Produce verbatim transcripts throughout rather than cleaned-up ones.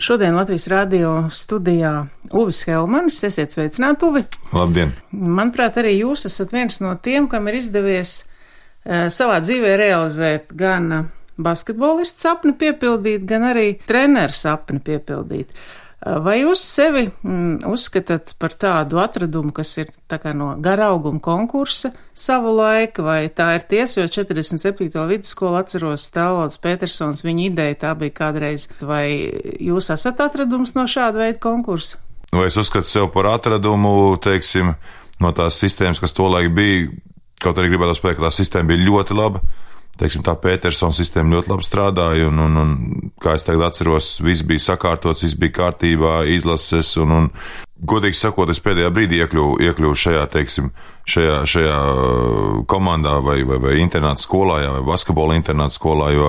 Šodien Latvijas radio studijā Uvis Helmanis. Esiet sveicināti, Uvi. Labdien! Manuprāt, arī jūs esat viens no tiem, kam ir izdevies uh, savā dzīvē realizēt gan basketbolistu sapni piepildīt, gan arī treneru sapni piepildīt. Uh, vai jūs sevi mm, uzskatāt par tādu atradumu, kas ir tā kā no garauguma konkursa savu laiku, vai tā ir tiesa, jo četrdesmit septīto vidusskolu atceros Stālvalds Petersons, viņa ideja tā bija kādreiz. Vai jūs esat atradums no šāda veida konkursa? Vai es uzskatu sev par atradumu, teiksim, no tās sistēmas, kas tolaik bija, kaut arī gribētu spēt, ka tā sistēma bija ļoti laba. Teiksim, tā Petersona sistēma ļoti labi strādāja, un, un, un kā es tagad atceros, viss bija sakārtots, viss bija kārtībā, izlases, un, un godīgi sakot, es pēdējā brīdī iekļuvu, iekļuvu šajā, teiksim, šajā, šajā komandā vai, vai, vai internāta skolā, jā, vai basketbola internāta skolā, jo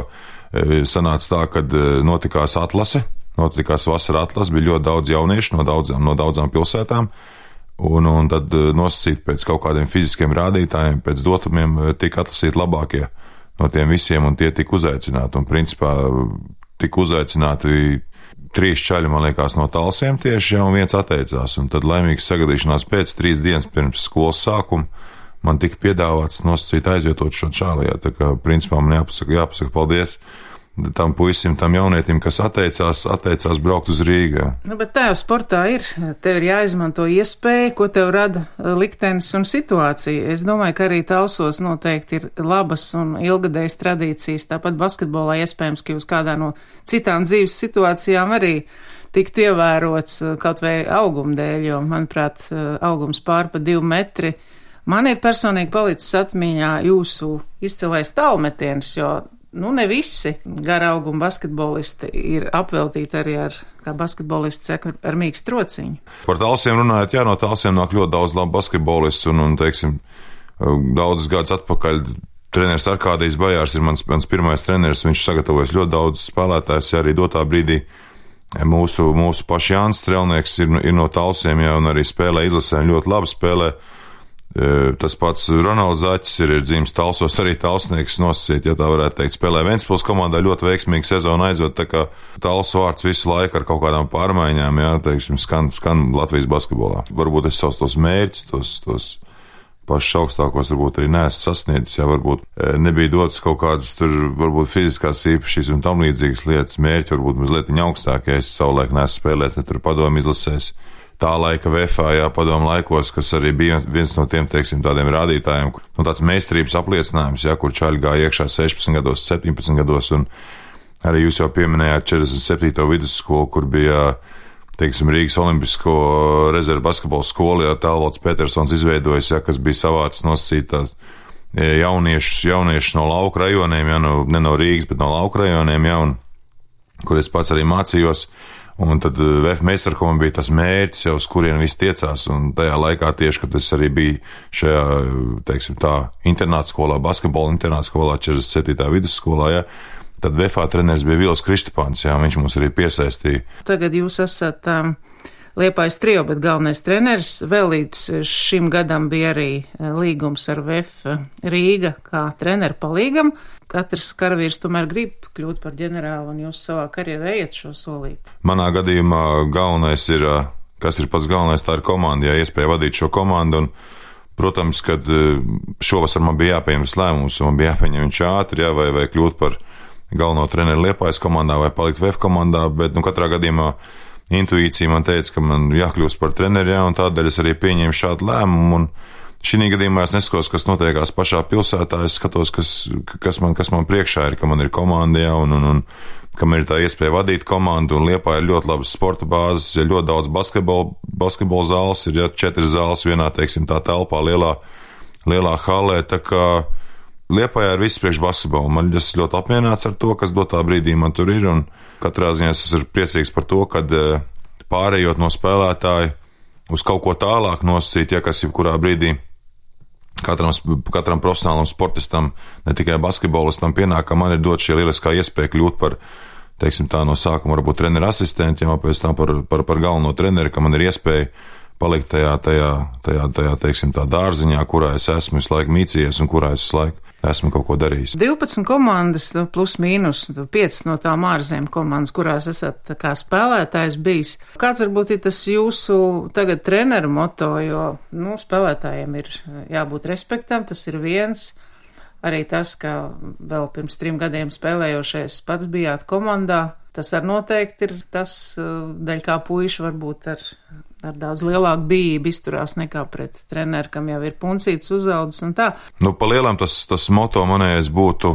sanāca tā, kad notikās atlase, notikās vasara atlase, bija ļoti daudz jauniešu no daudzām, no daudzām pilsētām, un, un tad nosacīt pēc kaut kādiem fiziskiem rādītājiem, pēc dotumiem tika atlasīti labākie no tiem visiem, un tie tika uzaicināti, un principā tika uzaicināti trīs čaļi, man liekas, no Talsiem tieši, ja, un viens atteicās, un tad laimīgs sagadīšanās pēc trīs dienas pirms skolas sākuma man tika piedāvāts nosacīt aizvietot šo čāli, ja, tā kā principā man jāpasaka, jāpasaka paldies tam puisim, tam jaunietim, kas atteicās, atteicās braukt uz Rīgā. Nu, bet tā jau sportā ir. Tev ir jāizmanto iespēja, ko tev rada liktenis un situācija. Es domāju, ka arī Talsos noteikti ir labas un ilgadējas tradīcijas. Tāpat basketbolā iespējams, ka jūs kādā no citām dzīves situācijām arī tiktu ievērots kaut vai auguma dēļ, jo, manuprāt, augums pār pa divi metri. Man ir personīgi palicis atmiņā jūsu izcilais tālmetiens, jo nu, ne visi gara auguma basketbolisti ir apveltīti arī ar, kā basketbolisti saka, ar mīkstu trociņu. Par Talsiem runājot, jā, no Talsiem nāk ļoti daudz labu basketbolistu, un, un, teiksim, daudzus gadus atpakaļ treneris Arkādijs Bajārs ir mans, mans pirmais treneris, viņš sagatavojas ļoti daudz spēlētājs, arī dotā brīdī mūsu, mūsu paši Jānis Strelnieks ir, ir no Talsiem, jā, un arī spēlē izlasē, ļoti labi spēlē. Tas pats Ronalds Zaķis ir, ir dzīves Talsos, arī talsnieks nosacīt, ja tā varētu teikt, spēlē Ventspils komandā ļoti veiksmīgi sezonu aizved, tā kā Tals vārds visu laiku ar kaut kādām pārmaiņām, jā, teiksim, skan, skan Latvijas basketbolā. Varbūt es savus tos mērķus, tos, tos pašus augstākos varbūt arī neesmu sasniedzis, jā, varbūt nebija dotas kaut kādas tur, varbūt fiziskās īpašības un tam līdzīgas lietas, mērķi varbūt mazliet augstākie, ja es savulaik neesmu spēlēts, ne tur padomu izlasēs. Tā laika V F A, jā, padomu laikos, kas arī bija viens no tiem, teiksim, tādiem rādītājiem, kur, nu, tāds meistarības apliecinājums, jā, kur čaļi gāja iekšā sešpadsmit gados, septiņpadsmit gados, un arī jūs jau pieminējāt četrdesmit septīto vidusskolu, kur bija, teiksim, Rīgas Olimpisko rezervu basketbola skolu, jā, Stālvalds Petersons izveidojis, jā, kas bija savāds nosacīt tās jauniešus, jauniešus no lauku rajoniem, jā, no, ne no Rīgas, bet no lauku rajoniem, jā, un kur es pats arī mācījos. Un tad V F meistarkoma bija tas mērķis, jau uz kurien visi tiecās, un tajā laikā tieši, kad es arī biju šajā, teiksim tā, internāta skolā, basketbola internāta skolā, četrdesmit septītā vidusskolā, jā, tad V F A treneris bija Vils Kristapāns, jā, viņš mums arī piesaistīja. Tagad jūs esat um, Liepājas trio, bet galvenais treneris. Vēl līdz šim gadam bija arī līgums ar V F Rīga kā treneru palīgam. Katrs karavīrs tomēr grib kļūt par ģenerāli, un jūs savā karjerā ejat šo solīt. Manā gadījumā galvenais ir, kas ir pats galvenais, tā ir komanda, ja iespēja vadīt šo komandu, un, protams, kad šovasar man bija jāpieņemas lēmums, un man bija jāpieņem viņš ātri, jā, vai, vai kļūt par galveno treneru Liepājas komandā, vai palikt V F komandā, bet, nu, katrā gadījumā intuīcija man teica, ka man jākļūst par treneri, jā, un tādēļ es arī pieņēmu šādu lēmumu, un šī gadījumā es neskatos, kas notiekās pašā pilsētā, es skatos, kas, kas, man, kas man priekšā ir, ka man ir komanda, jā, un, un, un ka man ir tā iespēja vadīt komandu, un Liepājā ir ļoti labas sporta bāzes, ir ļoti daudz basketbola, basketbola zāles, ir jā, četras zāles vienā, teiksim, tā telpā lielā, lielā halē, tā kā Liepājā ir viss priekš basketbolu. Man es ļoti apmierināts ar to, kas dotā brīdī man tur ir, un katrā ziņā es esmu priecīgs par to, kad pārējot no spēlētāja uz kaut ko tālāk nosacīt, ja kas jebkurā brīdī Katram, katram profesionālam sportistam, ne tikai basketbolistam pienāk, ka man ir dot šī lieliskā iespēja kļūt par, teiksim tā, no sākuma varbūt treneru asistentu, jau pēc tam par, par, par galveno treneri, ka man ir iespēja palikt tajā, tajā, tajā, tajā, teiksim, tā dārziņā, kurā es esmu visu laiku mīcījies un kurā es visu laiku esmu kaut ko darījis. divpadsmit komandas, plus mīnus, piecas no tām ārzemju komandas, kurās esat kā spēlētājs bijis. Kāds varbūt ir tas jūsu tagad treneru moto, jo, nu, spēlētājiem ir jābūt respektam, tas ir viens. Arī tas, ka vēl pirms trim gadiem spēlējošais pats bijāt komandā, tas ar noteikti ir tas, daļ kā puiši varbūt ar, ar daudz lielāku bijību izturās nekā pret treneru, kam jau ir puncīts uzaudzis un tā. Nu, pa lielam tas, tas moto manējais būtu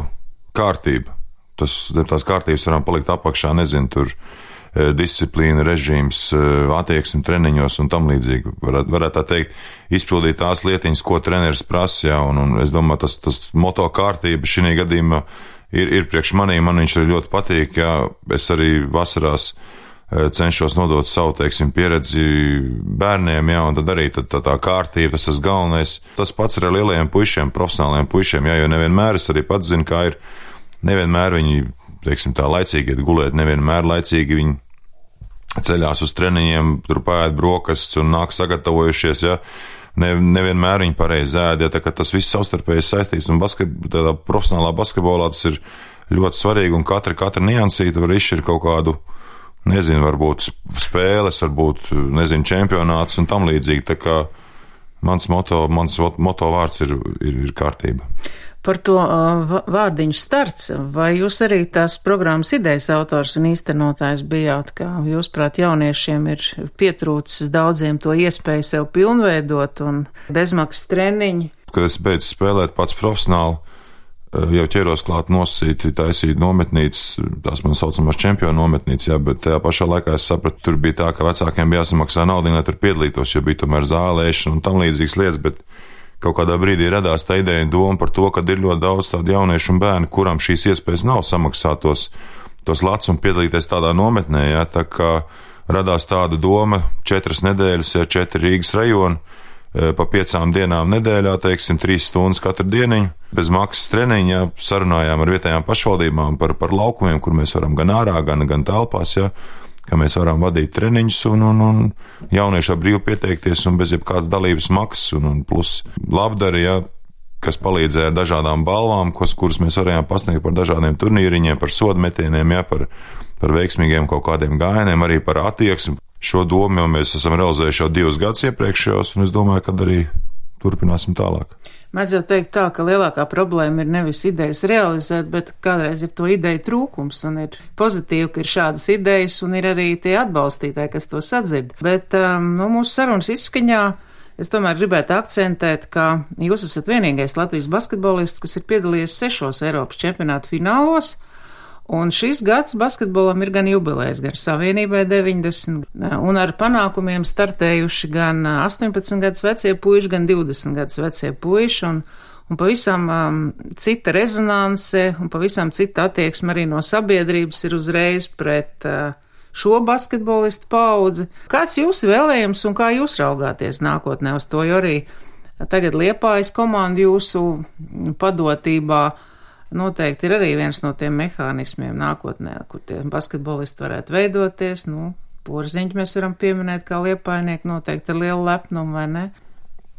kārtība. Tas, tās kārtības varam palikt apakšā, nezinu, tur disciplīna, režīms, attieksme treniņos un tam līdzīgi. Varētu, varētu tā teikt, izpildīt tās lietiņas, ko treneris prasa, jā, un, un es domāju, tas, tas moto kārtība šī gadījumā ir, ir priekš manī, man viņš arī ļoti patīk, jā, es arī vasarās cenšos nodot savu, teiksim, pieredzi bērniem, jā, un tad arī tad, tā, tā kārtība, tas tas galvenais. Tas pats ar lielajiem puišiem, profesionāliem puišiem, jā, jo nevienmēr es arī pats zinu, kā ir, nevienmēr viņi, teiksim, tā laicīgi iet gulēt, nevienmēr laicīgi viņi ceļās uz treniņiem, tur pāēd brokastis un nāk sagatavojušies, ja, ne, nevienmēr viņi pareizi ēd, ja, tā kā tas viss savstarpēji saistīts, un basket, tādā profesionālā basketbolā tas ir ļoti svarīgi, un katra, katra niansīta var izšķirt kaut kādu, nezinu, varbūt spēles, varbūt, nezinu, čempionāts un tam līdzīgi, tā kā mans moto, mans moto vārds ir, ir, ir kārtība. Par to uh, vārdiņu starts, vai jūs arī tās programmas idejas autors un īstenotājs bijāt, ka jūs, prāt, jauniešiem ir pietrūcis daudziem to iespēju sev pilnveidot un bezmaksas treniņi? Kad es beidzu spēlēt pats profesionāli, jau ķeros klāt nosacīt, taisīt nometnītes, tās man saucamās čempionu nometnītes, jā, bet tajā pašā laikā es sapratu, tur bija tā, ka vecākiem bija jāsamaksā naudiņu, lai tur piedalītos, jo bija tomēr zālēšana un tam līdzīgas lietas, bet kaut kādā brīdī radās tā ideja un doma par to, ka ir ļoti daudz tādu jauniešu un bērnu, kuram šīs iespējas nav samaksāt tos, tos lats un piedalīties tādā nometnē, jā, tā kā radās tāda doma četras nedēļas, jā, četri Rīgas rajoni, pa piecām dienām nedēļā, teiksim, trīs stundas katru dieniņu, bez maksas treniņu, jā, sarunājām ar vietējām pašvaldībām par, par laukumiem, kur mēs varam gan ārā, gan, gan telpās, jā, ka mēs varam vadīt treniņus un, un, un jaunieši ar brīvu pieteikties un bez jebkādas dalības maksas un, un plus labdari, ja, kas palīdzēja ar dažādām balvām, kas, kuras mēs varējām pasniegt par dažādiem turnīriņiem, par sodmetieniem, ja, par, par veiksmīgiem kaut kādiem gājieniem, arī par attieksmi. Šo domu jau mēs esam realizējuši jau divus gadus iepriekšējos un es domāju, ka arī turpināsim tālāk. Mēdz jau teikt tā, ka lielākā problēma ir nevis idejas realizēt, bet kādreiz ir to ideju trūkums, un ir pozitīvi, ka ir šādas idejas, un ir arī tie atbalstītāji, kas to sadzird. Bet um, no mūsu sarunas izskaņā es tomēr gribētu akcentēt, ka jūs esat vienīgais Latvijas basketbolists, kas ir piedalījies sešos Eiropas čempionātu finālos, un šis gads basketbolam ir gan jubilejs, gan Savienībai deviņdesmit, un ar panākumiem startējuši gan astoņpadsmit gadus vecie puiši, gan divdesmit gadus vecie puiši, un, un pavisam um, cita rezonanse, un pavisam cita attieksme arī no sabiedrības ir uzreiz pret uh, šo basketbolistu paudzi. Kāds jūsu vēlējums un kā jūs raugāties nākotnē uz to, jo arī tagad Liepājas komanda jūsu padotībā noteikti ir arī viens no tiem mehānismiem nākotnē, kur tie basketbolisti varētu veidoties. Nu, Porziņu mēs varam pieminēt kā liepājnieki noteikti ar lielu lepnumu, vai ne?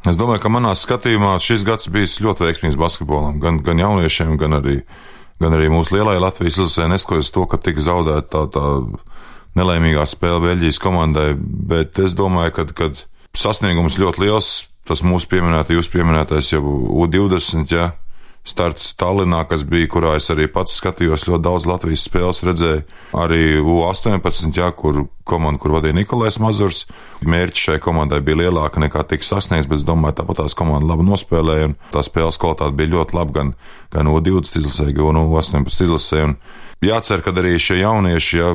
Es domāju, ka manā skatījumā šis gads bijis ļoti veiksmīgs basketbolam, gan, gan jauniešiem, gan arī, gan arī mūsu lielai Latvijas izlasē, neskatoties to, ka tika zaudēta tā, tā nelaimīgā spēle Beļģijas komandai, bet es domāju, ka, kad sasniegums ļoti liels, tas mūsu pieminēta, jūs pieminētais jau U divdesmit, ja, starts Tallinā, kas bija, kurā es arī pats skatījos, ļoti daudz Latvijas spēles redzēju, arī U astoņpadsmit, jā, kur komanda, kur vadīja Nikolais Mazurs. Mērķi šai komandai bija lielāka nekā tika sasniegts, bet es domāju, tāpat tās komanda labi nospēlēja, un tā spēles kvalitāte bija ļoti laba gan, gan U divdesmit izlasē, gan U astoņpadsmit izlasē. Un jācer, ka arī šie jaunieši, jā,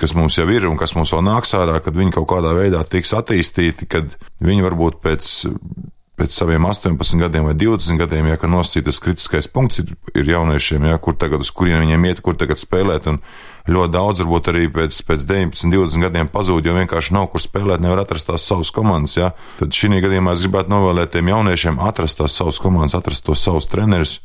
kas mums jau ir un kas mums vēl nāks ārā, kad viņi kaut kādā veidā tiks attīstīti, kad viņi varbūt pēc pēc saviem astoņpadsmit gadiem vai divdesmit gadiem, ja, ka nosacītas kritiskais punkts ir, ir jauniešiem, ja, kur tagad, uz kurien viņiem iet, kur tagad spēlēt, un ļoti daudz varbūt arī pēc, pēc deviņpadsmit, divdesmit gadiem pazūd, jo vienkārši nav kur spēlēt, nevar atrast tās savas komandas, ja. Tad šī gadījumā es gribētu novēlēt tiem jauniešiem atrast tās savas komandas, atrast tos savus trenerus,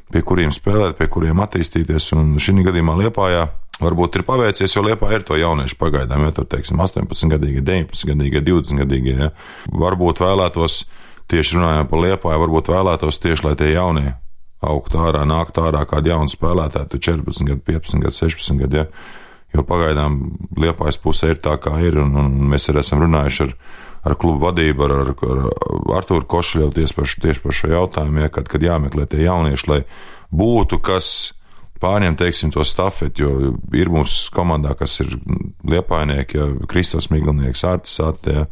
pie kuriem spēlēt, pie kuriem attīstīties, un šī gadījumā Liepājā varbūt ir paveicies, jo Liepāja ir to jauniešu pagaidām, ja tur, teiksim, astoņpadsmitgadīgie, deviņpadsmitgadīgie, divdesmitgadīgie, ja. Varbūt vēlētos, tieši runājot par Liepāju, varbūt vēlētos tieši, lai tie jaunie augtu ārā, nāktu ārā kādi jauni spēlētāji, tu četrpadsmit gadu, piecpadsmit gadu, sešpadsmit gadu, ja. Jo pagaidām Liepājas pusē ir tā, kā ir, un, un mēs arī esam runājuši ar, ar klubu vadību, ar, ar, ar Artūru Košļevu tieši par, tieši par šo jautājumu, ja, kad, kad jāmeklē tie jaunieši, lai būtu kas pārņem, teiksim, to stafeti, jo ir mums komandā, kas ir liepājnieki, ja, Kristofs Miglinieks, Artis Sate, ja,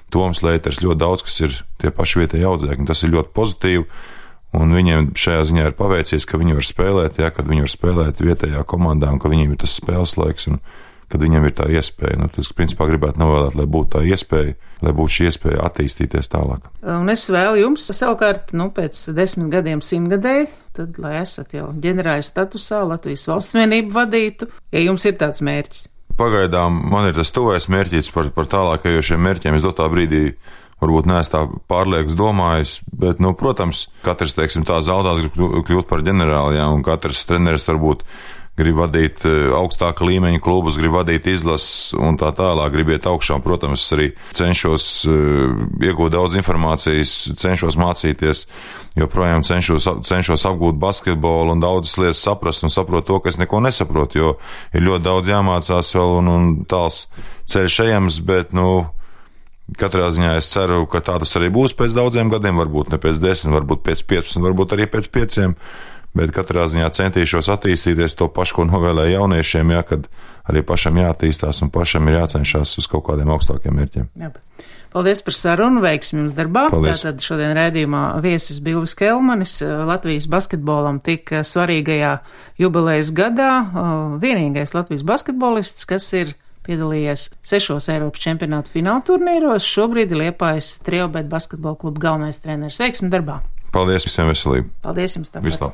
Toms Leiters, ļoti daudz, kas ir tie paši vietēji audzēkņi, tas ir ļoti pozitīvi, un viņiem šajā ziņā ir paveicies, ka viņi var spēlēt, ja, kad viņi var spēlēt vietējā komandā, un ka viņiem ir tas spēles laiks, un kad viņiem ir tā iespēja. Nu, tas, principā, gribētu novēlēt, lai būtu tā iespēja, lai būtu šī iespēja attīstīties tālāk. Un es vēlu jums savukārt, nu, pēc desmit gadiem simtgadēji, tad, lai esat jau ģenerāļa statusā, Latvijas valsts vienību vadītu, ja jums ir tāds mērķis. Pagaidām man ir tas tuvais mērķis par, par tālākajošiem mērķiem. Es dotā brīdī varbūt neesmu tā pārliekas domājis, bet, nu, protams, katrs, teiksim, tā zaudās grib kļūt par ģenerāli, jā, un katrs treneris varbūt grib vadīt augstāka līmeņa klubus, grib vadīt izlases un tā tālāk, grib iet augšā. Protams, es arī cenšos iegūt daudz informācijas, cenšos mācīties, joprojām cenšos, cenšos apgūt basketbolu un daudzas lietas saprast un saprot to, ka es neko nesaprotu, jo ir ļoti daudz jāmācās vēl un, un tāls ceļš ejams, bet, nu, katrā ziņā es ceru, ka tā tas arī būs pēc daudziem gadiem, varbūt ne pēc desmit, varbūt pēc piecpadsmit, varbūt arī pēc pieciem. Bet katrā ziņā centīšos attīstīties to pašu, ko novēlēju jauniešiem, ja, kad arī pašam jāattīstās un pašam ir jācenšas uz kaut kādiem augstākiem mērķiem. Jā. Paldies par sarunu, veiksmi jums darbā. Paldies. Tātad šodien raidījumā viesis bija Uvis Kelmanis, Latvijas basketbolam tik svarīgajā jubilejas gadā, vienīgais Latvijas basketbolists, kas ir piedalījies sešos Eiropas čempionātu fināla turnīros, šobrīd ir Liepājas Triobet basketbola kluba galvenais treneris. Veiksmi darbā! Paldies, visiem veselību! Paldies jums! Tāpēc. Vislabāk!